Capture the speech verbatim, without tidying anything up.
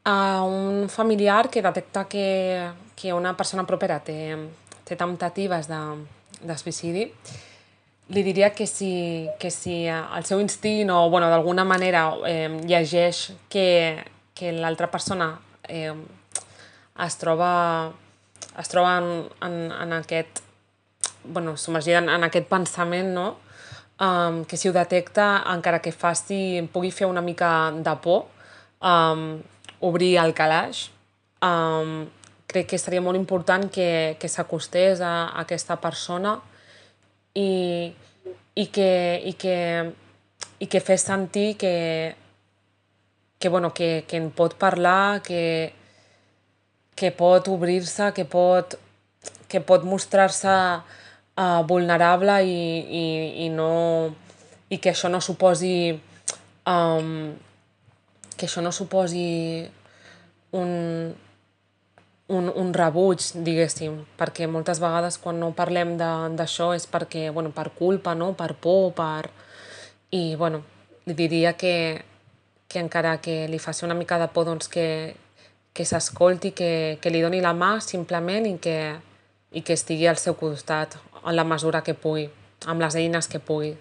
A un familiar que detecta que, que una persona propera té, té temptatives de, de suïcidi, li diria que si, que si el seu instint o bueno, d'alguna manera eh, llegeix que, que l'altra persona eh, es troba, es troba en, en, en aquest bueno, submergida en, en aquest pensament, no? Um, que si ho detecta, encara que faci, pugui fer una mica de por, um, obrir el calaix. Um, crec que seria molt important que, que s'acostés a, a aquesta persona i, i, que, i, que, i que fes sentir que, que, bueno, que, que en pot parlar, que, que pot obrir-se, que pot, que pot mostrar-se uh, vulnerable i, i, i, no, i que això no suposi um, que això no suposi un, un, un rebuig, diguéssim, perquè moltes vegades quan no parlem d'això és perquè, bueno, per culpa, no? Per por, per... I, bueno, li diria que, que encara que li faci una mica de por, doncs que, que s'escolti, que, que li doni la mà simplement i que, i que estigui al seu costat en la mesura que pugui, amb les eines que pugui.